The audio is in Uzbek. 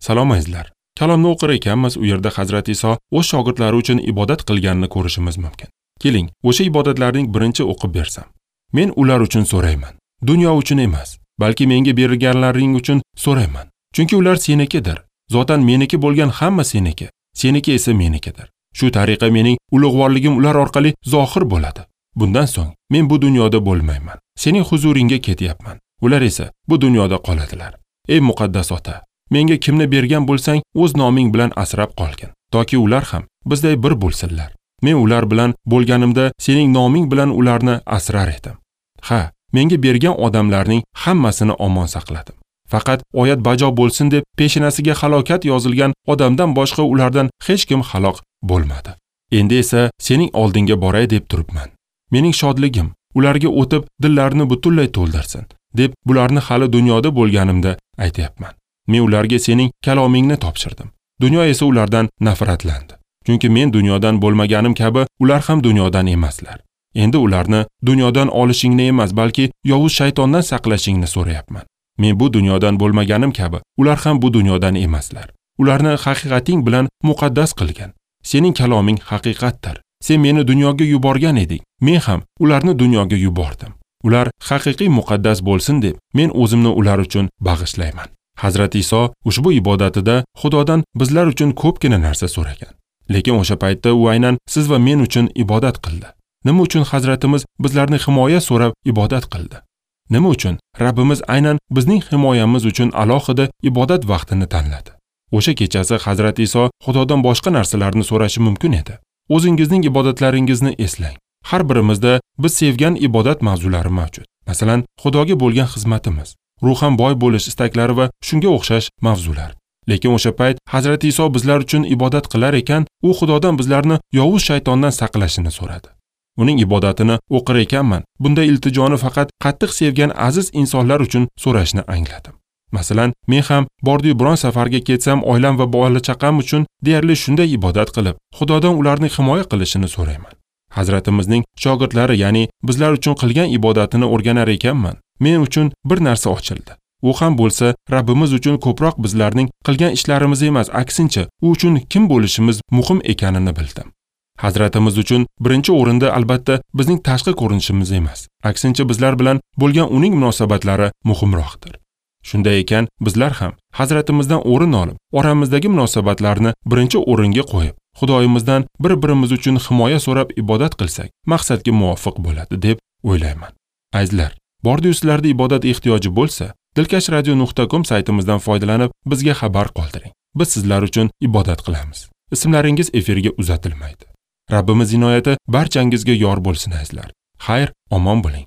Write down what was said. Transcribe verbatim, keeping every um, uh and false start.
Salom azizlar. Kalomni o'qir ekanmiz, u yerda Hazrat Iso o'z shogirdlari uchun ibodat qilganini ko'rishimiz mumkin. Keling, o'sha ibodatlarning birinchi o'qib bersam. Men ular uchun so'rayman. Dunyo uchun emas, balki menga berilganlaring uchun so'rayman. Chunki ular senikidir. Zotan meniki bo'lgan hamma seniki, seniki esa menikidir. Shu tariqa mening ulug'vorligim ular orqali zohir bo'ladi. Bundan so'ng men bu dunyoda bo'lmayman. Sening huzuringga ketyapman. Ular esa bu dunyoda qoladilar. Ey muqaddas ota, menga kimni bergan bo'lsang, o'z noming bilan asrab qolgin, toki ular ham bizday bir bo'lsinlar. Men ular bilan bo'lganimda sening noming bilan ularni asrar edim. Ha, menga bergan odamlarning hammasini omon saqladim. Faqat oyat bajo bo'lsin deb peshanasiga halokat yozilgan odamdan boshqa ulardan hech kim halok bo'lmadi. Endi esa sening oldinga boray deb turibman. Mening shodligim ularga o'tib dillarini butunlay to'ldirsin deb bularni hali dunyoda bo'lganimda aytyapman. Men ularga sening kalomingni topshirdim. Dunyo esa ulardan nafratlandi. Chunki men dunyodan bo'lmaganim kabi ular ham dunyodan emaslar. Endi ularni dunyodan olishingni emas, balki yovuz shaytondan saqlashingni so'rayapman. Men bu dunyodan bo'lmaganim kabi ular ham bu dunyodan emaslar. Ularni haqiqating bilan muqaddas qilgin. Sening kaloming haqiqatdir. Sen meni dunyoga yuborgan eding. Men ham ularni dunyoga yubordim. Ular haqiqiy muqaddas bo'lsin deb men o'zimni ular uchun bag'ishlayman. Hazrat Iso ushbu ibodatida Xudodan bizlar uchun ko'pgina narsa so'ragan. Lekin o'sha paytda u aynan siz va men uchun ibodat qildi. Nima uchun Hazratimiz bizlarni himoya so'rab ibodat qildi? Nima uchun Rabbimiz aynan bizning himoyamiz uchun alohida ibodat vaqtini tanladi? O'sha kechasi Hazrat Iso Xudodan boshqa narsalarni so'rashi mumkin edi. O'zingizning ibodatlaringizni eslang. Har birimizda biz sevgan ibodat mavzulari mavjud. Masalan, Xudoga bo'lgan xizmatimiz, ruhan boy bo'lish istaklari va shunga o'xshash mavzular. Lekin o'sha payt Hazrat Iso bizlar uchun ibodat qilar ekan, u Xudodan bizlarni yovuz shaytondan saqlashini so'radi. Uning ibodatini o'qir ekanman, bunday iltijoni faqat qattiq sevgan aziz insonlar uchun so'rashni angladim. Masalan, men ham bordiyu biron safarga ketsam, oilam va bola chaqam uchun deyarli shunday ibodat qilib, Xudodan ularni himoya qilishini so'rayman. Hazratimizning shogirdlari, ya'ni bizlar uchun qilgan ibodatini o'rganar ekanman, men uchun bir narsa ochildi. U ham bo'lsa, Rabbimiz uchun ko'proq bizlarning qilgan ishlarimiz emas, aksincha, u uchun kim bo'lishimiz muhim ekanini bildim. Hazratimiz uchun birinchi o'rinda albatta bizning tashqi ko'rinishimiz emas, aksincha bizlar bilan bo'lgan uning munosabatlari muhimroqdir. Shunday ekan, bizlar ham Hazratimizdan o'rin olib, oramizdagi munosabatlarni birinchi o'ringa qo'yib, Xudoyimizdan bir-birimiz uchun himoya so'rab ibodat qilsak, maqsadga muvofiq bo'ladi deb o'ylayman. Azizlar, bordiyu sizlarda ibodat ehtiyoji bo'lsa, dilkash radio nuqta com saytimizdan foydalanib bizga xabar qoldiring. Biz sizlar uchun ibodat qilamiz. Ismlaringiz efirga uzatilmaydi. Rabbimiz inoyati barchangizga yor bo'lsin azizlar. Xayr, omon bo'ling.